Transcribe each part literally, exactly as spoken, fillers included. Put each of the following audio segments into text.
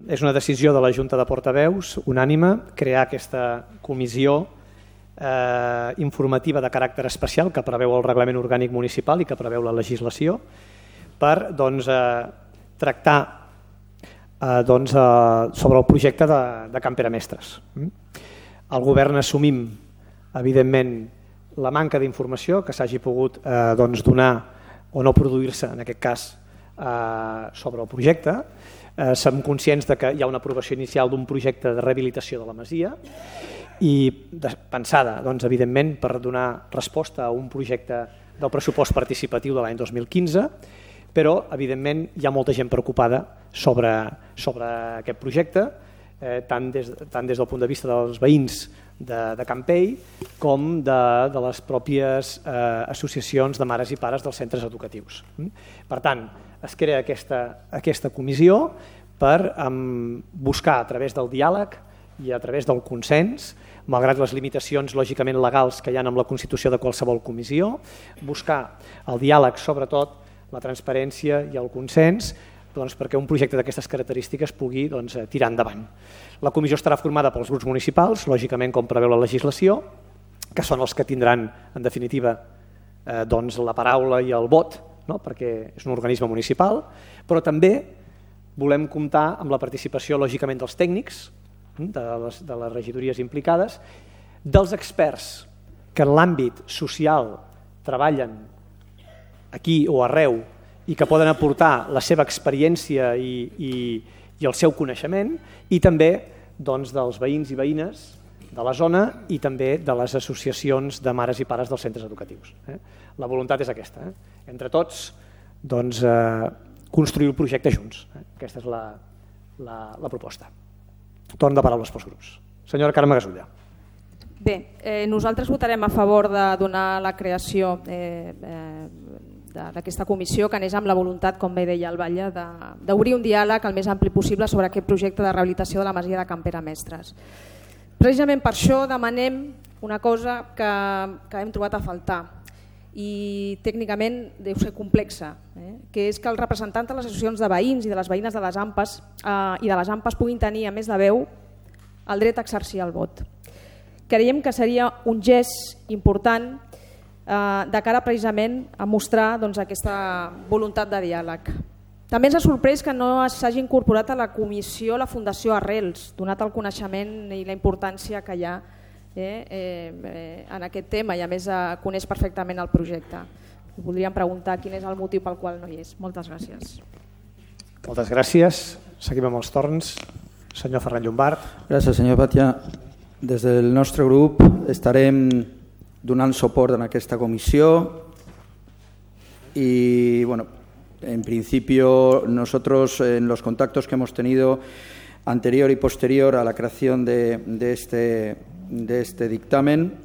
és una decisió de la Junta de Portaveus, unànime, crear aquesta comissió eh, informativa de caràcter especial que preveu el Reglament Orgànic Municipal i que preveu la legislació per doncs, eh, tractar eh, doncs, eh, sobre el projecte de, de Can Pere Mestres. El govern assumim, evidentment, la manca d'informació que s'hagi pogut eh, doncs, donar o no produir-se, en aquest cas, eh, sobre el projecte. Eh, som conscients de que hi ha una aprovació inicial d'un projecte de rehabilitació de la masia i de, pensada, doncs, evidentment, per donar resposta a un projecte del pressupost participatiu de l'any dos mil quinze, però, evidentment, hi ha molta gent preocupada sobre, sobre aquest projecte, eh, tant, des, tant des del punt de vista dels veïns de, de Campell com de, de les pròpies eh, associacions de mares i pares dels centres educatius. Per tant, es crea aquesta, aquesta comissió per um, buscar a través del diàleg i a través del consens, malgrat les limitacions lògicament legals que hi ha amb la constitució de qualsevol comissió, buscar el diàleg, sobretot la transparència i el consens, doncs, perquè un projecte d'aquestes característiques pugui doncs, tirar endavant. La comissió estarà formada pels grups municipals, lògicament com preveu la legislació, que són els que tindran en definitiva eh, doncs, la paraula i el vot, no? Perquè és un organisme municipal, però també volem comptar amb la participació lògicament dels tècnics, de les, de les regidories implicades, dels experts que en l'àmbit social treballen aquí o arreu i que poden aportar la seva experiència i, i, i el seu coneixement, i també doncs, dels veïns i veïnes de la zona i també de les associacions de mares i pares dels centres educatius. Eh? La voluntat és aquesta, eh? Entre tots doncs, eh, construir el projecte junts. Eh? Aquesta és la, la, la proposta. Torn de paraules pels grups. Senyora Carme Gasulla. Bé, eh, nosaltres votarem a favor de donar la creació eh, eh, d'aquesta comissió que anés amb la voluntat, com bé deia el Batlle, d'obrir un diàleg el més ampli possible sobre aquest projecte de rehabilitació de la masia de Can Pere Mestres. Precisament per això demanem una cosa que, que hem trobat a faltar i tècnicament deu ser complexa, eh? que és que els representants de les associacions de veïns i de les veïnes de les AMPAs eh, i de les AMPAs puguin tenir, a més de veu, el dret a exercir el vot. Creiem que seria un gest important eh, de cara precisament a mostrar doncs, aquesta voluntat de diàleg. També ens ha sorprès que no s'hagi incorporat a la comissió la Fundació Arrels, donat el coneixement i la importància que hi ha eh, eh, en aquest tema i a més eh, coneix perfectament el projecte. Voldríem preguntar quin és el motiu pel qual no hi és. Moltes gràcies. Moltes gràcies. Seguim amb els torns. Senyor Ferran Llombart. Gràcies, senyor Batlle. Des del nostre grup estarem donant suport en aquesta comissió y bueno, en principio nosotros en los contactos que hemos tenido anterior y posterior a la creación de, de, este, de este dictamen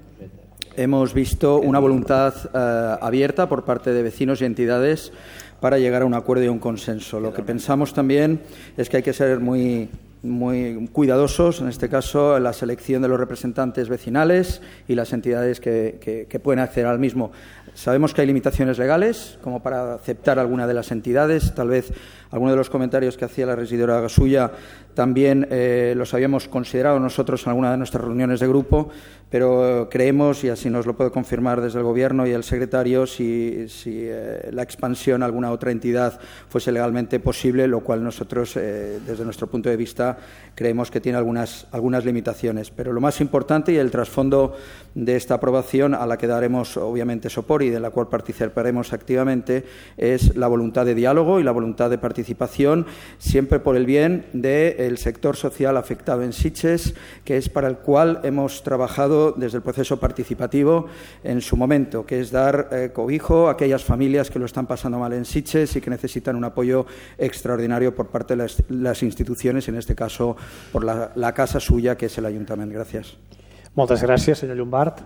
hemos visto una voluntad eh, abierta por parte de vecinos y entidades para llegar a un acuerdo y un consenso. Lo que pensamos también es que hay que ser muy muy cuidadosos, en este caso, en la selección de los representantes vecinales y las entidades que, que, que pueden acceder al mismo. Sabemos que hay limitaciones legales, como para aceptar alguna de las entidades. Tal vez algunos de los comentarios que hacía la regidora Gasulla también eh, los habíamos considerado nosotros en alguna de nuestras reuniones de grupo, pero creemos, y así nos lo puede confirmar desde el Gobierno y el secretario, si, si eh, la expansión a alguna otra entidad fuese legalmente posible, lo cual nosotros, eh, desde nuestro punto de vista, creemos que tiene algunas, algunas limitaciones. Pero lo más importante y el trasfondo de esta aprobación, a la que daremos obviamente soporte y de la cual participaremos activamente, es la voluntad de diálogo y la voluntad de participación, siempre por el bien del sector social afectado en Sitges, que es para el cual hemos trabajado desde el proceso participativo en su momento, que es dar eh, cobijo a aquellas familias que lo están pasando mal en Sitges y que necesitan un apoyo extraordinario por parte de las, las instituciones, en este caso por la, la casa suya, que es el Ayuntamiento. Gràcies. Moltes gràcies, senyor Llombart.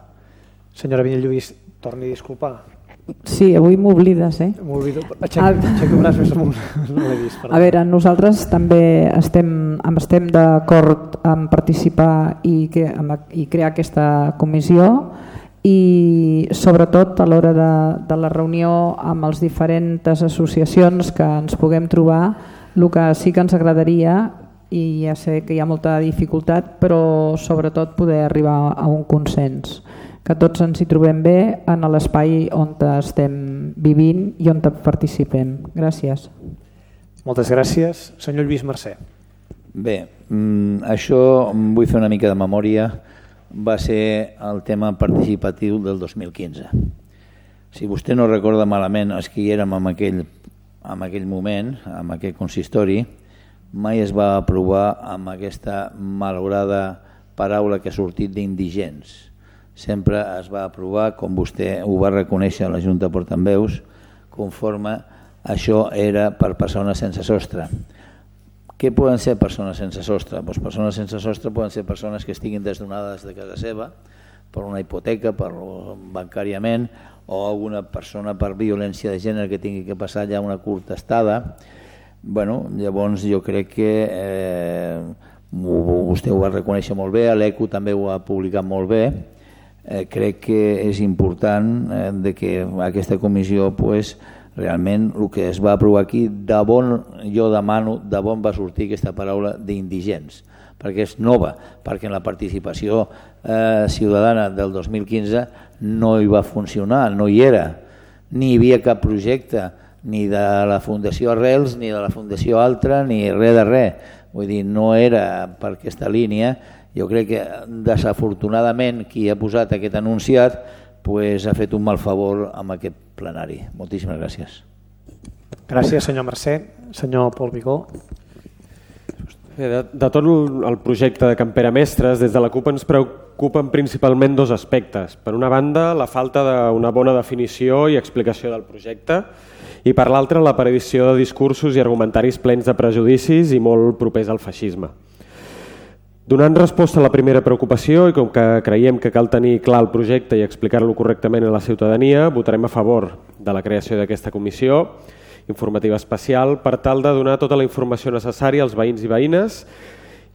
Senyora Vinyet-Lluís, torni a disculpar. Sí, avui m'oblides, eh? M'oblido. Aixequi un braç més amunt. No l'he vist. Perdó. A veure, nosaltres també estem, estem d'acord en participar i, que, i crear aquesta comissió i sobretot a l'hora de, de la reunió amb les diferents associacions que ens puguem trobar, el que sí que ens agradaria i ja sé que hi ha molta dificultat, però sobretot poder arribar a un consens, que tots ens hi trobem bé en l'espai on estem vivint i on participem. Gràcies. Moltes gràcies. Senyor Lluís Mercè. Bé, això vull fer una mica de memòria. Va ser el tema participatiu del dos mil quinze. Si vostè no recorda malament, els que hi érem en aquell, en aquell moment, en aquell consistori, mai es va aprovar amb aquesta malograda paraula que ha sortit d'indigents. Sempre es va aprovar, com vostè ho va reconèixer a la Junta de Portaveus, conforme això era per persones sense sostre. Què poden ser persones sense sostre? Doncs persones sense sostre poden ser persones que estiguin desnonades de casa seva per una hipoteca, per bancàriament, o alguna persona per violència de gènere que tingui que passar ja una curta estada. Bueno, llavors jo crec que eh, vostè ho va reconèixer molt bé, l'ECO també ho ha publicat molt bé. Eh, crec que és important eh, de que aquesta comissió pues, realment el que es va aprovar aquí, de bon, jo demano de bon va sortir aquesta paraula d'indigents, perquè és nova, perquè en la participació eh, ciutadana del dos mil quinze no hi va funcionar, no hi era, ni hi havia cap projecte, ni de la Fundació Arrels, ni de la Fundació Altra, ni res de res. Vull dir, no era per aquesta línia. Jo crec que desafortunadament qui ha posat aquest anunciat pues, ha fet un mal favor amb aquest plenari. Moltíssimes gràcies. Gràcies, senyor Mercè. Senyor Pol Vigó. De, de tot el projecte de Campera Mestres, des de la CUP ens preocupen principalment dos aspectes. Per una banda, la falta d'una bona definició i explicació del projecte, i per l'altra, l'aparició de discursos i argumentaris plens de prejudicis i molt propers al feixisme. Donant resposta a la primera preocupació i com que creiem que cal tenir clar el projecte i explicar-lo correctament a la ciutadania, votarem a favor de la creació d'aquesta comissió informativa especial per tal de donar tota la informació necessària als veïns i veïnes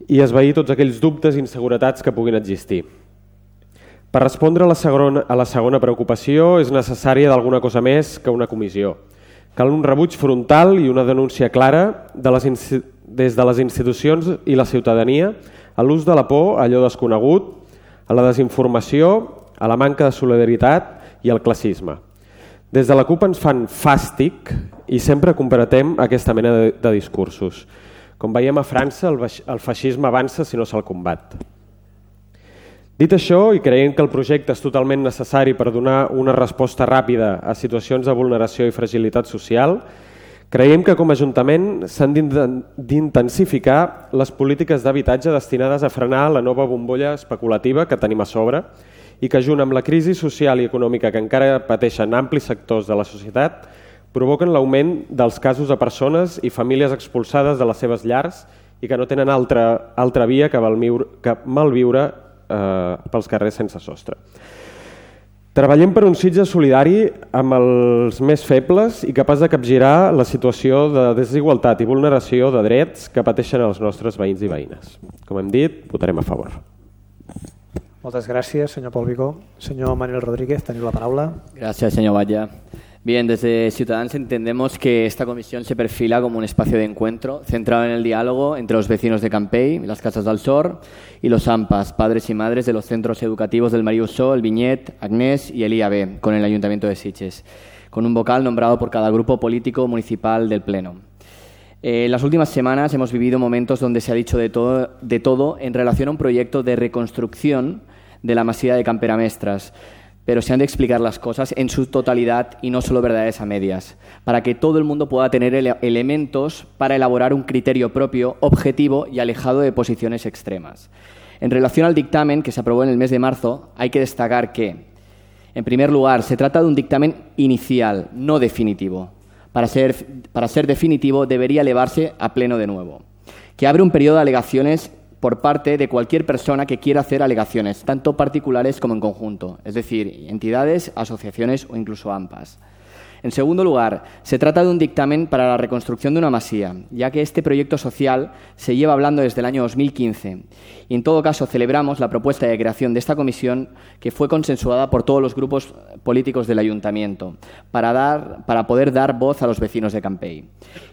i esvair tots aquells dubtes i inseguretats que puguin existir. Per respondre a la segona, a la segona preocupació és necessària d'alguna cosa més que una comissió. Cal un rebuig frontal i una denúncia clara de les, des de les institucions i la ciutadania a l'ús de la por, a allò desconegut, a la desinformació, a la manca de solidaritat i al classisme. Des de la CUP ens fan fàstic i sempre comparatem aquesta mena de, de discursos. Com veiem a França, el, el feixisme avança si no se'l combat. Dit això, i creient que el projecte és totalment necessari per donar una resposta ràpida a situacions de vulneració i fragilitat social, creiem que com a Ajuntament s'han d'intensificar les polítiques d'habitatge destinades a frenar la nova bombolla especulativa que tenim a sobre i que, junt amb la crisi social i econòmica que encara pateixen amplis sectors de la societat, provoquen l'augment dels casos de persones i famílies expulsades de les seves llars i que no tenen altra, altra via que malviure eh, pels carrers sense sostre. Treballem per un Sitges solidari amb els més febles i capaç de capgirar la situació de desigualtat i vulneració de drets que pateixen els nostres veïns i veïnes. Com hem dit, votarem a favor. Moltes gràcies, senyor Pol Vigó. Senyor Manuel Rodríguez, teniu la paraula. Gracias, señor Valla. Bien, desde Ciudadanos entendemos que esta comisión se perfila como un espacio de encuentro centrado en el diálogo entre los vecinos de Campey, las Casas del Sor y los AMPAs, padres y madres de los centros educativos del Mariusó, el Viñet, Agnés y el I A B, con el Ayuntamiento de Sitges, con un vocal nombrado por cada grupo político municipal del Pleno. Eh, en las últimas semanas hemos vivido momentos donde se ha dicho de todo, de todo en relación a un proyecto de reconstrucción de la masía de Campera Mestres, pero se han de explicar las cosas en su totalidad y no solo verdades a medias, para que todo el mundo pueda tener ele- elementos para elaborar un criterio propio, objetivo y alejado de posiciones extremas. En relación al dictamen que se aprobó en el mes de marzo, hay que destacar que, en primer lugar, se trata de un dictamen inicial, no definitivo. Para ser, para ser definitivo debería elevarse a pleno de nuevo, que abre un periodo de alegaciones por parte de cualquier persona que quiera hacer alegaciones, tanto particulares como en conjunto, es decir, entidades, asociaciones o incluso AMPAs. En segundo lugar, se trata de un dictamen para la reconstrucción de una masía, ya que este proyecto social se lleva hablando desde el año dos mil quince. Y en todo caso, celebramos la propuesta de creación de esta comisión que fue consensuada por todos los grupos políticos del Ayuntamiento para, dar, para poder dar voz a los vecinos de Campell.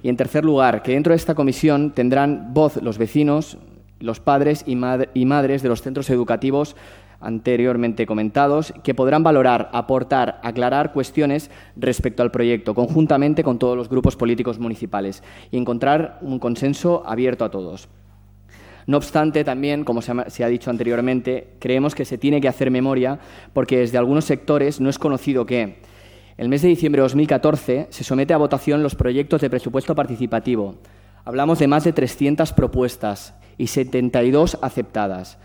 Y en tercer lugar, que dentro de esta comisión tendrán voz los vecinos, los padres y, mad- y madres de los centros educativos anteriormente comentados, que podrán valorar, aportar, aclarar cuestiones respecto al proyecto, conjuntamente con todos los grupos políticos municipales, y encontrar un consenso abierto a todos. No obstante, también, como se ha, se ha dicho anteriormente, creemos que se tiene que hacer memoria porque desde algunos sectores no es conocido que el mes de diciembre de dos mil catorce se somete a votación los proyectos de presupuesto participativo. Hablamos de más de trescientas propuestas y setenta y dos aceptadas.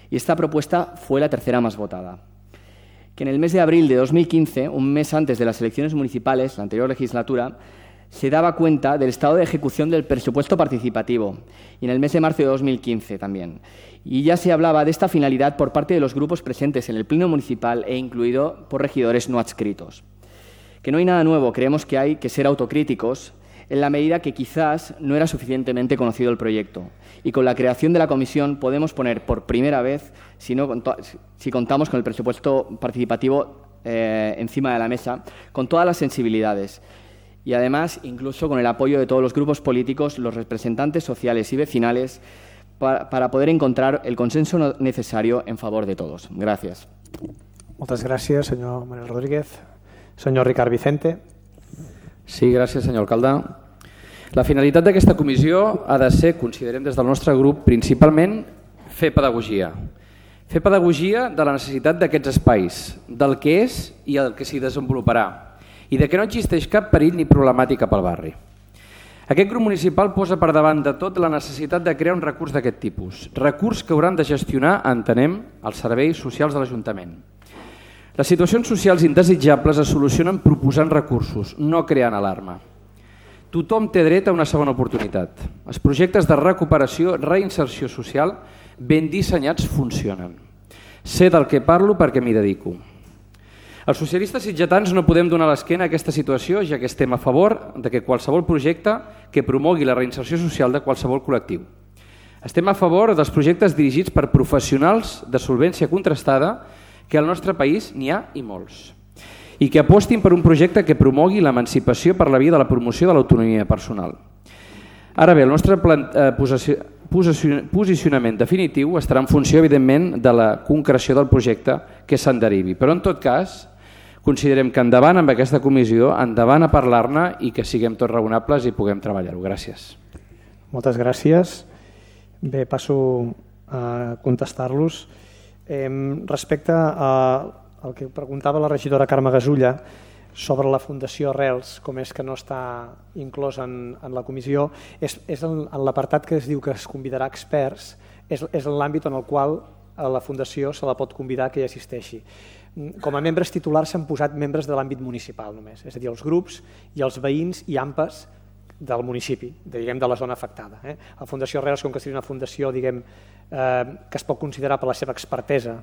Y esta propuesta fue la tercera más votada. Que en el mes de abril de dos mil quince, un mes antes de las elecciones municipales, la anterior legislatura, se daba cuenta del estado de ejecución del presupuesto participativo, y en el mes de marzo de dos mil quince también. Y ya se hablaba de esta finalidad por parte de los grupos presentes en el pleno municipal e incluido por regidores no adscritos. Que no hay nada nuevo, creemos que hay que ser autocríticos en la medida que quizás no era suficientemente conocido el proyecto. Y con la creación de la comisión podemos poner por primera vez, si, no, si contamos con el presupuesto participativo eh, encima de la mesa, con todas las sensibilidades. Y además, incluso con el apoyo de todos los grupos políticos, los representantes sociales y vecinales, para, para poder encontrar el consenso necesario en favor de todos. Gràcies. Moltes gràcies, senyor Manuel Rodríguez. Senyor Ricard Vicente. Sí, gràcies, senyor alcalde. La finalitat d'aquesta comissió ha de ser, considerem des del nostre grup, principalment fer pedagogia. Fer pedagogia de la necessitat d'aquests espais, del que és i el que s'hi desenvoluparà, i de que no existeix cap perill ni problemàtica pel barri. Aquest grup municipal posa per davant de tot la necessitat de crear un recurs d'aquest tipus, recurs que hauran de gestionar, entenem, els serveis socials de l'Ajuntament. Les situacions socials indesitjables es solucionen proposant recursos, no creant alarma. Tothom té dret a una segona oportunitat. Els projectes de recuperació, reinserció social, ben dissenyats, funcionen. Sé del que parlo perquè m'hi dedico. Els socialistes sitgetans no podem donar l'esquena a aquesta situació, ja que estem a favor de que qualsevol projecte que promogui la reinserció social de qualsevol col·lectiu. Estem a favor dels projectes dirigits per professionals de solvència contrastada, que al nostre país n'hi ha i molts, i que apostin per un projecte que promogui l'emancipació per la via de la promoció de l'autonomia personal. Ara bé, el nostre plan, eh, posicionament definitiu estarà en funció, evidentment, de la concreció del projecte que se'n derivi. Però, en tot cas, considerem que endavant amb aquesta comissió, endavant a parlar-ne i que siguem tots raonables i puguem treballar-ho. Gràcies. Moltes gràcies. Bé, passo a contestar-los. Eh, respecte a, al que preguntava la regidora Carme Gasulla sobre la Fundació Arrels, com és que no està inclòs en, en la comissió, és, és en, en l'apartat que es diu que es convidarà experts, és, és en l'àmbit en el qual a la Fundació se la pot convidar que hi assisteixi. Com a membres titulars s'han posat membres de l'àmbit municipal només, és a dir, els grups i els veïns i AMPAs del municipi, diguem, de la zona afectada. Eh? La Fundació Arrels, com que seria una fundació diguem, eh, que es pot considerar per la seva expertesa,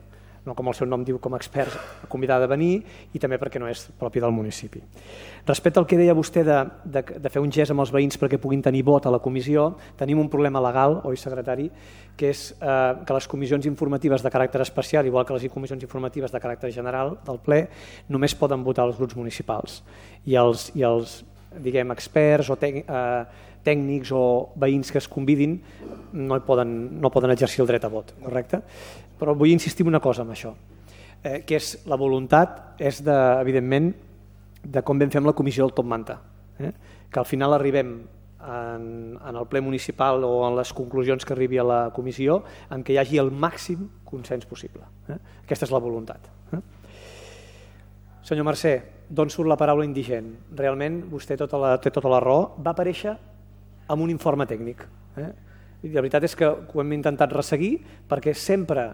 no com el seu nom diu com a expert, convidada a venir, i també perquè no és propi del municipi. Respecte al que deia vostè de, de, de fer un gest amb els veïns perquè puguin tenir vot a la comissió, tenim un problema legal, oi secretari, que és eh, que les comissions informatives de caràcter especial, igual que les comissions informatives de caràcter general del ple, només poden votar els grups municipals. I els, i els diguem, experts o tec, eh, tècnics o veïns que es convidin no poden, no poden exercir el dret a vot, correcte? Però vull insistir en una cosa amb això, eh, que és la voluntat, és de, evidentment, de com ben fem la comissió del Top Manta, eh? Que al final arribem en, en el ple municipal o en les conclusions que arribi a la comissió en què hi hagi el màxim consens possible. Eh? Aquesta és la voluntat. Eh? Senyor Mercè, d'on surt la paraula indigent? Realment, vostè tota la, té tota la raó, va aparèixer amb un informe tècnic. Eh? I la veritat és que ho hem intentat resseguir perquè sempre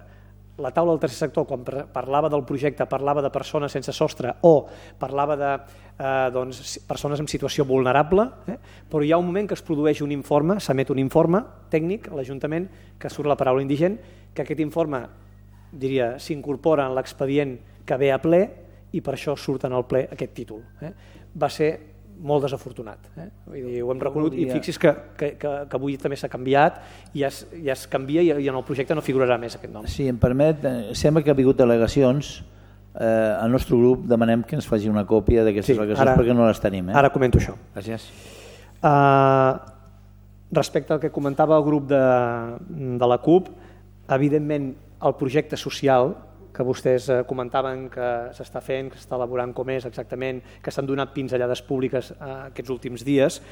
la taula del tercer sector, quan parlava del projecte, parlava de persones sense sostre o parlava de eh, doncs, persones en situació vulnerable, eh? Però hi ha un moment que es produeix un informe, s'emet un informe tècnic a l'Ajuntament que surt la paraula indigent, que aquest informe diria s'incorpora en l'expedient que ve a ple i per això surt en el ple aquest títol. Eh? va ser molt desafortunat. Eh? Vull dir, ho hem reconegut i fixi's que, que, que, que avui també s'ha canviat i ja es, ja es canvia i, i en el projecte no figurarà més aquest nom. Si em permet, sembla que ha hagut al·legacions. Eh, al nostre grup demanem que ens faci una còpia d'aquestes sí, al·legacions ara, perquè no les tenim. Eh? Ara comento això. Gràcies. Uh, respecte al que comentava el grup de, de la CUP, evidentment el projecte social que vostès comentaven que s'està fent, que s'està elaborant com és exactament, que s'han donat pinzellades públiques aquests últims dies,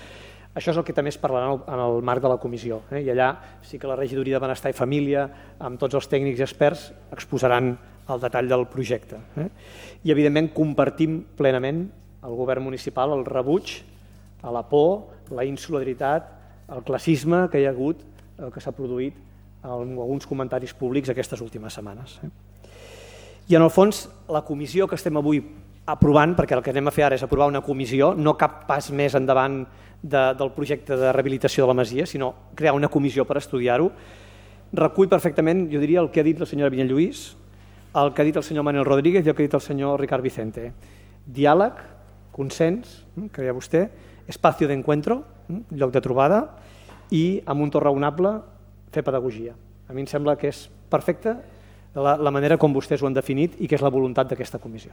això és el que també es parlarà en el marc de la comissió. Eh? I allà sí que la regidoria de Benestar i Família, amb tots els tècnics i experts, exposaran el detall del projecte. Eh? I evidentment compartim plenament el govern municipal el rebuig a la por, la insolidaritat, el classisme que hi ha hagut, el que s'ha produït en alguns comentaris públics aquestes últimes setmanes. Eh? I en el fons, la comissió que estem avui aprovant, perquè el que anem a fer ara és aprovar una comissió, no cap pas més endavant de, del projecte de rehabilitació de la Masia, sinó crear una comissió per estudiar-ho, recull perfectament, jo diria, el que ha dit la senyora Vinyalluís, el que ha dit el senyor Manuel Rodríguez i el que ha dit el senyor Ricard Vicente. Diàleg, consens, que deia vostè, espacio d'encuentro, lloc de trobada, i amb un to raonable fer pedagogia. A mi em sembla que és perfecte La, la manera com vostès ho han definit i que és la voluntat d'aquesta comissió.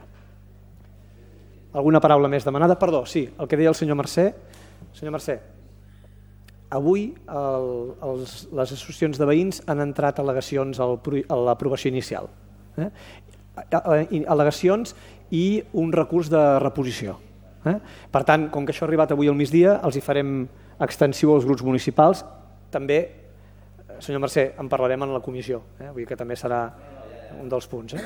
Alguna paraula més demanada? Perdó, sí, el que deia el senyor Mercè. Senyor Mercè, avui el, els, les associacions de veïns han entrat al·legacions al, a l'aprovació inicial. Eh? Al·legacions i un recurs de reposició. Eh? Per tant, com que això ha arribat avui al migdia, els hi farem extensiu als grups municipals. També, senyor Mercè, en parlarem en la comissió, eh? Vull dir que també serà un dels punts. Eh?